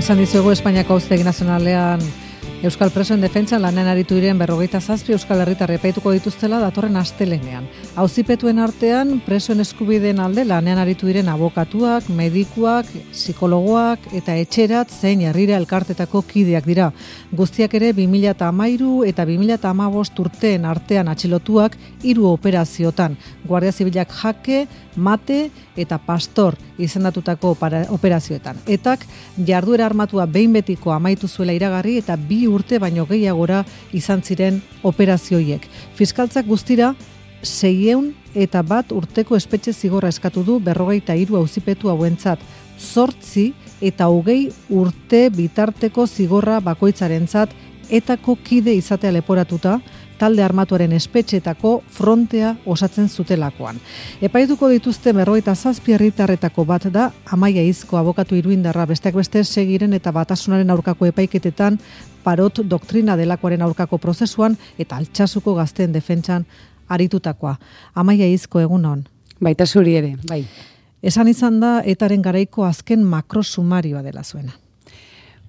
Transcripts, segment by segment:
Esan dizuegu Espainiako Auzitegi Nazionalean Euskal Presoen defentsan lanean aritu diren 27 euskal herritar epaituko dituztela datorren astelehenean. Auzipetuen artean presoen eskubideen alde lanean aritu diren abokatuak, medikuak, psikologoak eta etxerat zein herrira elkartetako kideak dira. Guztiak ere 2013 eta 2015 urteen artean atxilotuak 3 operaziotan. Guardia Zibilak Jake, Mate eta Pastor izendatutako operazioetan. Etak jarduera armatua behin betiko amaitu zuela iragarri eta 2 urte baino gehiagora izan ziren operazioiek. Fiskaltzak guztira 601 urteko espetxe zigorra eskatu du 43 auzipetu hauentzat, 8 eta 20 urte bitarteko zigorra bakoitzarentzat etako kide izatea leporatuta, talde armatuaren espetxetako frontea osatzen zutelakoan. Epaituko dituzte 47 herritarretako bat da Amaia Izko abokatu iruindarra, besteak beste Segiren eta Batasunaren aurkako epaiketetan, Parot doktrina delakoaren aurkako prozesuan eta Altsasuko gazteen defentsan aritutakoa. Amaia Izko, egunon. Baita zuri ere, bai. Esan izan da etaren garaiko azken makrosumarioa dela zuena.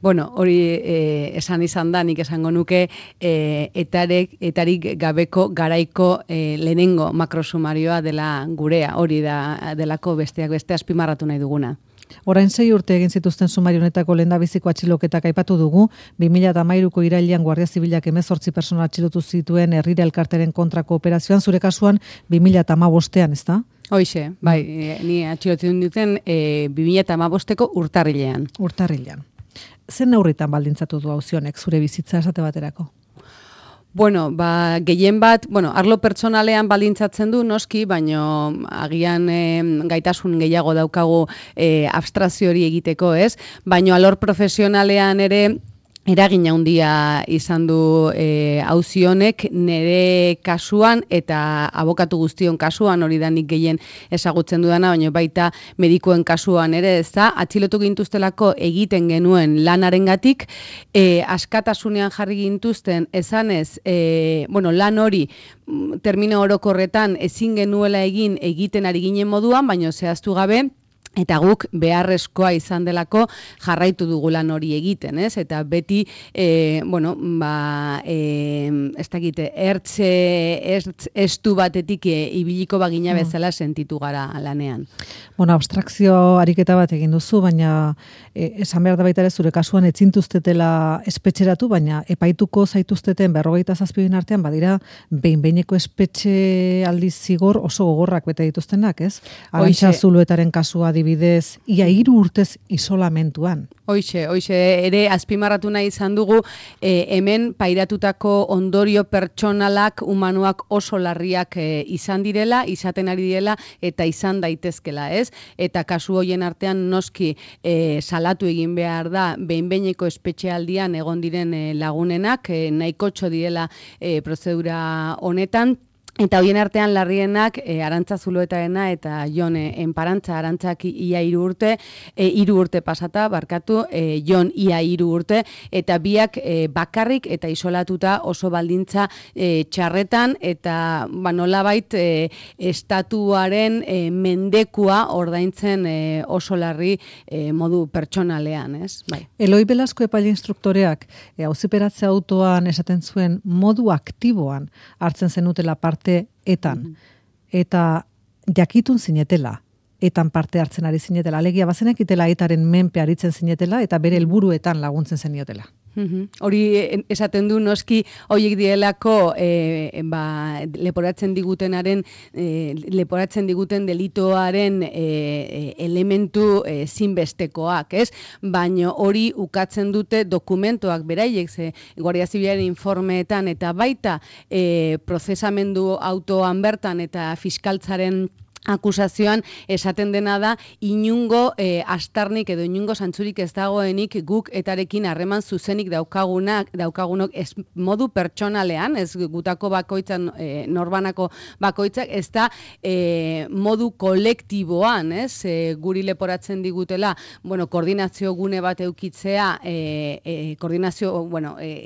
Bueno, hori esan izan da, nik esango nuke etarik gabeko garaiko lehenengo makrosumarioa dela gurea, hori delako besteak beste azpimarratu nahi duguna. Orain 6 urte egin zituzten sumario honetako lehendabiziko atxiloketak aipatu dugu, 2013ko irailean Guardia Zibilak 18 pertsona atxilotu zituen herrira elkarteren kontrako operazioan, zure kasuan 2015ean, ezta? Hoixe, bai, ni atxilotu duten 2015ko urtarrilean. Urtarrilean. Zen neurritan baldintzatu du auzi honek zure bizitza esate baterako? Bueno, gehien bat, arlo pertsonalean baldintzatzen du noski, baino agian gaitasun gehiago daukagu abstrazio hori egiteko, ez? Baino alor profesionalean ere eragin handia izan du auzi honek nire kasuan eta abokatu guztion kasuan, hori da nik gehien ezagutzen dudana, baina baita medikuen kasuan ere, ez da, atxilotu gintuztelako egiten genuen lanarengatik, askatasunean jarri gintuzten esanez, lan hori termino orokorretan ezin genuela egiten ari ginen moduan, baina zehaztu gabe, eta guk beharrezkoa izan delako jarraitu dugu lan hori egiten, ez? Eta beti, ez dakite, estu batetik ibiliko bagina bezala sentitu gara lanean. Abstrakzio ariketa bat egin duzu, baina esan behar da baita ere zure kasuan etzintuztetela espetxeratu, baina epaituko zaituzteten 27 artean badira behin-behineko espetxe aldiz zigor oso gogorrak bete dituztenak, ez? Arantxa Zuluetaren kasua bidez, ia 3 urtez isolamentuan. Hoixe, ere azpimarratu nahi izan dugu, hemen pairatutako ondorio pertsonalak, humanoak oso larriak izan direla, izaten ari direla, eta izan daitezkela, ez? Eta kasu hoien artean noski salatu egin behar da, behin-behineko espetxealdian egon diren lagunenak, nahikotxo direla prozedura honetan, eta hoien artean larrienak Arantza Zuluetarena eta Jon Enparantza, Arantzak ia 3 urte, 3 urte pasata, barkatu, Jon ia 3 urte, eta biak bakarrik eta isolatuta oso baldintza txarretan, eta nolabait estatuaren mendekua ordaintzen oso larri modu pertsonalean, ez? Bai. Eloi Belasko epaile instruktoreak auziperatze autoan esaten zuen modu aktiboan hartzen zenutela parte etan, eta jakitun zinetela, etan parte hartzen ari zinetela, alegia bazenekitela etaren menpe aritzen zinetela, eta bere helburuetan laguntzen zeniotela. Hori esaten du noski horiek dielako leporatzen diguten delitoaren elementu zinbestekoak, ez? Baina hori ukatzen dute dokumentoak beraiek, ze Guardia Zibilaren informeetan eta baita prozesamendu autoan bertan eta fiskaltzaren akusazioan esaten dena da inungo astarnik edo inungo zantzurik ez dagoenik guk etarekin harreman zuzenik daukagunok ez modu pertsonalean, ez gutako bakoitzan norbanako bakoitzak, ez da modu kolektiboan, ez? Guri leporatzen digutela, koordinazio gune bat eukitzea,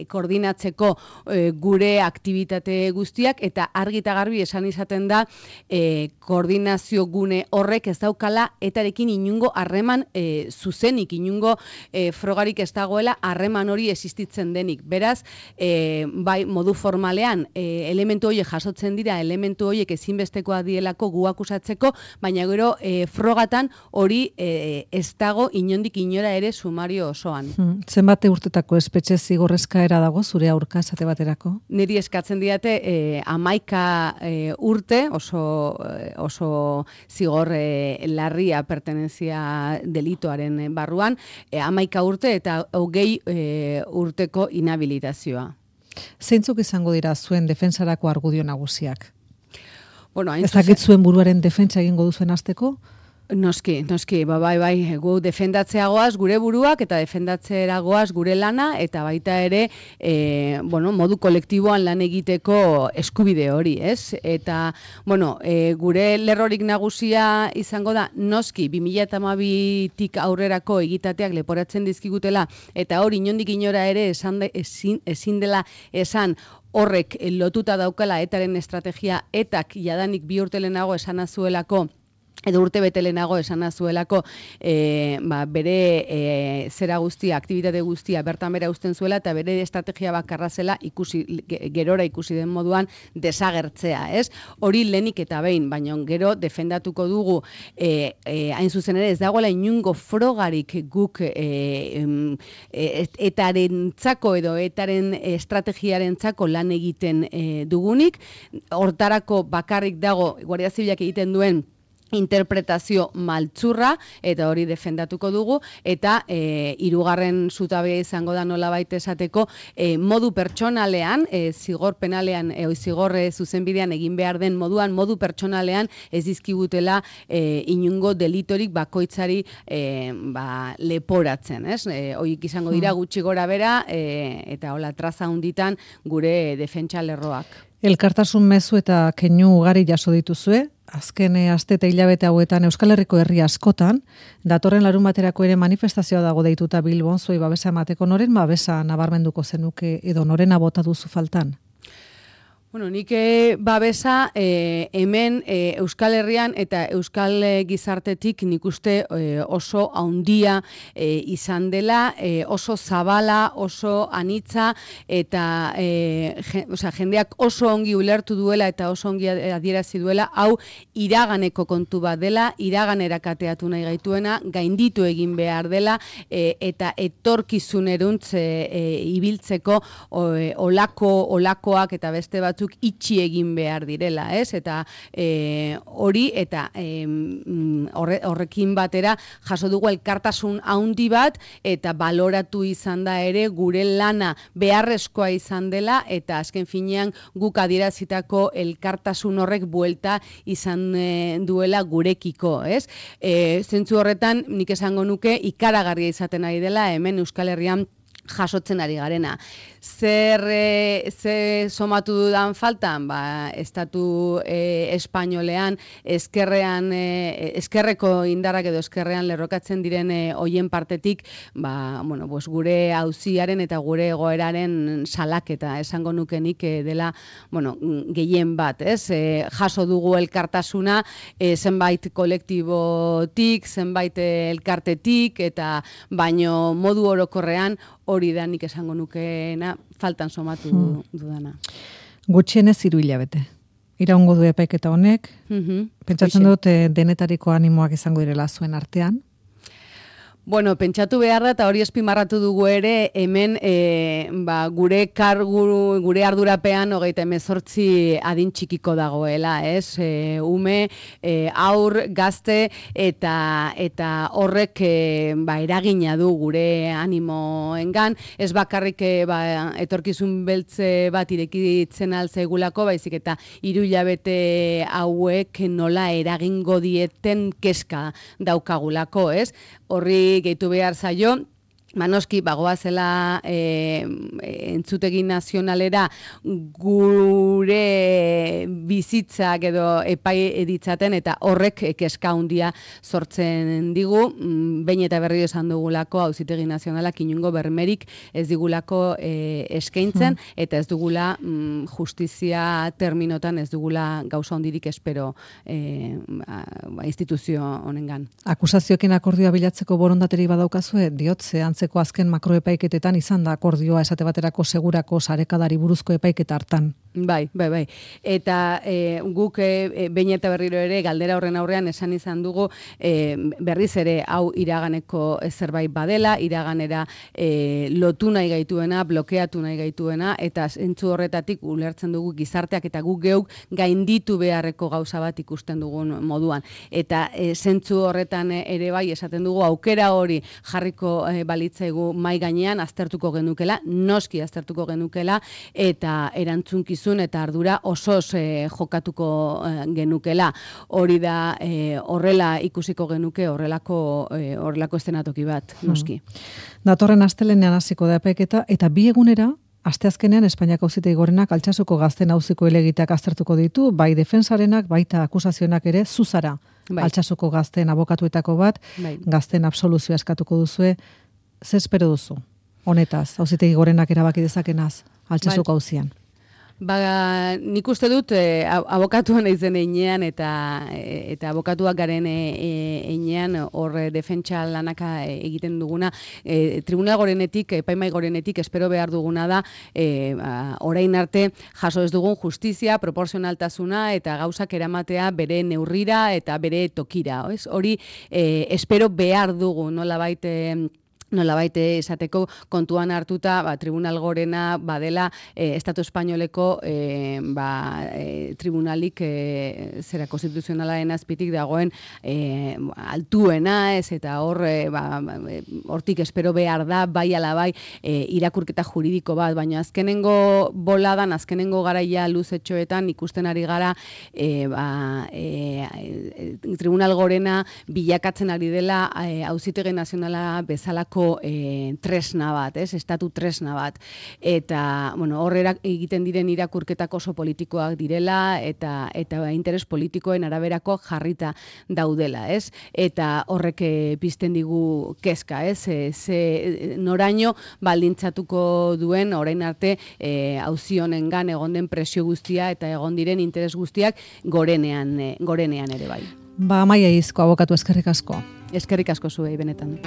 koordinatzeko gure aktibitate guztiak, eta argi eta garbi esan izaten da koordinazio koordinazio gune horrek ez daukala etarekin inungo harreman zuzenik, inungo frogarik ez dagoela harreman hori existitzen denik. Beraz, bai modu formalean elementu horiek jasotzen dira, elementu horiek ezinbestekoa dielako gu akusatzeko, baina gero frogatan hori ez dago inondik inora ere sumario osoan. Zenbat urtetako espetxe zigor eskaera dago zure aurka esate baterako? Niri eskatzen diate 11 urte, oso zigor larria pertenentzia delitoaren barruan, 11 urte eta 20 urteko inhabilitazioa. Zeintzuk izango dira zuen defensarako argudio nagusiak? Bueno, ez dakit zuen buruaren defentsa egingo duzuen hasteko? Noski, bai, gu defendatzeagoaz gure buruak eta defendatzeagoaz gure lana eta baita ere, modu kolektiboan lan egiteko eskubide hori, ez? Eta, gure lerrorik nagusia izango da, noski, 2012tik aurrerako egitateak leporatzen dizkigutela eta hori inondik inora ere ezin dela esan horrek lotuta daukala etaren estrategia, etak jadanik 2 urte lehenago esana zuelako, edo urte bete lehenago esana zuelako bere zera guztia, aktibitate guztia bertan bera uzten zuela eta bere estrategia bakarra zela gerora ikusi den moduan desagertzea, ez? Hori lehenik eta behin, baina gero defendatuko dugu hain zuzen ere ez dagoela inungo frogarik guk etarentzako edo etaren estrategiarentzako lan egiten dugunik, hortarako bakarrik dago Guardia Zibilak egiten duen interpretazio maltzurra, eta hori defendatuko dugu, eta hirugarren zutabea izango da nolabait esateko, modu pertsonalean, zigor penalean, zigor zuzenbidean egin behar den moduan, modu pertsonalean ez dizkigutela inungo delitorik bakoitzari leporatzen, ez? Hoik izango dira gutxi gora bera, eta hola traza hunditan gure defentsa lerroak. Elkartasun mezu eta keinu ugari jaso dituzue, azken aste eta hilabete hauetan Euskal Herriko herri askotan, datorren larunbaterako ere manifestazioa dago deituta Bilbon zuei babesa emateko, noren babesa nabarmenduko zenuke edo norena bota duzu faltan? Nik babesa hemen Euskal Herrian eta Euskal Gizartetik nik uste oso haundia izan dela, oso zabala, oso anitza, eta jendeak oso ongi ulertu duela eta oso ongi adierazi duela, hau iraganeko kontu bat dela, iraganera kateatu nahi gaituena, gainditu egin behar dela, eta etorkizuneruntz ibiltzeko olakoak eta beste batzuk itxi egin behar direla, ez? Eta hori, eta horrekin batera jaso dugu elkartasun handi bat, eta baloratu izan da ere gure lana beharrezkoa izan dela, eta azken finean guk adierazitako elkartasun horrek buelta izan duela gurekiko, ez? Zentzu horretan, nik esango nuke ikaragarria izaten ari dela, hemen Euskal Herrian jasotzen ari garena. Zer somatu dudan faltan? Estatu espainolean eskerreko indarrak edo eskerrean lerrokatzen diren hoien partetik, gure auziaren eta gure egoeraren salaketa esango nukenik dela, gehien bat, ez? Jaso dugu elkartasuna zenbait kolektibotik, zenbait elkartetik, eta baino modu orokorrean hori da nik esango nukeena faltan somatu dudana. Gutxienez 3 hilabete. Iraungo du epaiketa honek. Pentsatzen dut denetariko animoak izango direla zuen artean. Pentsatu behar da, eta hori azpimarratu dugu ere, hemen gure ardurapean 38 adin txikiko dagoela, ez? Ume, aur, gazte, eta horrek eragina du gure animoengan, ez bakarrik etorkizun beltze bat irekitzen altzegulako, baizik eta 3 hilabete hauek nola eragingo dieten kezka daukagulako, ez? Horri gehitu behar zaio, Noski, bagoazela entzutegi nazionalera gure bizitzak edo epai editzaten, eta horrek kezka handia sortzen digu, behin eta berriro esan dugulako Auzitegi Nazionalak inongo bermerik ez digulako eskaintzen, eta ez dugula justizia terminotan ez dugula gauza hondirik espero instituzio honengan. Akusazioekin akordioa bilatzeko borondaterik badaukazue, diotze antzeko azken makroepaiketetan izan da akordioa esate baterako segurako sarekadari buruzko epaiketa hartan. Bai. Eta guk behin eta berriro ere galdera horren aurrean esan izan dugu berriz ere hau iraganeko zerbait badela, iraganera lotu nahi gaituena, blokeatu nahi gaituena, eta zentzu horretatik ulertzen dugu gizarteak eta guk geuk gainditu beharreko gauza bat ikusten dugun moduan. Eta zentzu horretan ere bai esaten dugu aukera hori jarriko balitzaigu mai gainean, aztertuko genukela, noski aztertuko genukela, eta erantzunkizun eta ardura osoz jokatuko genukela. Hori da horrela ikusiko genuke horrelako eszenatoki bat, noski. Datorren astelenean hasiko da epaiketa, eta bi egunera asteazkenean Espainiako Auzitegi Gorenak Altsasuko gazteen auziko helegiteak aztertuko ditu, bai defensarenak, baita akusazionak ere, zuzara. Bai. Altsasuko gazteen abokatuetako bat, gazteen absoluzioa eskatuko duzue. Zer espero duzu? Honetaz, Auzitegi Gorenak erabaki dezakenaz, Altsasuko auzian. Nik uste dut abokatuan naizen heinean eta abokatuak garen heinean hor defentsa lanaka egiten duguna, Tribunal Gorenetik, Epaimai Gorenetik espero behar duguna da orain arte jaso ez dugun justizia, proportzionaltasuna eta gauzak eramatea bere neurrira eta bere tokira. Hori espero behar dugu, nolabait esateko kontuan hartuta Tribunal Gorena badela Estatu Espainoleko tribunalik zera konstituzionalaren azpitik dagoen altuena, eta hortik espero behar da bai ala bai irakurketa juridiko bat, baina azkenengo boladan, azkenengo garaia luzetxoetan ikusten ari gara Tribunal Gorena bilakatzen ari dela Auzitegi Nazionala bezalako tresna bat, estatu tresna bat. Eta, horrera egiten diren irakurketak oso politikoak direla, eta interes politikoen araberako jarrita daudela, Eta horrek pizten digu kezka, noraino baldintzatuko duen orain arte auzi honengan egon den presio guztia eta egon diren interes guztiak gorenean ere bai. Amaia Izko, abokatu, eskerrik asko. Eskerrik asko zuei benetan.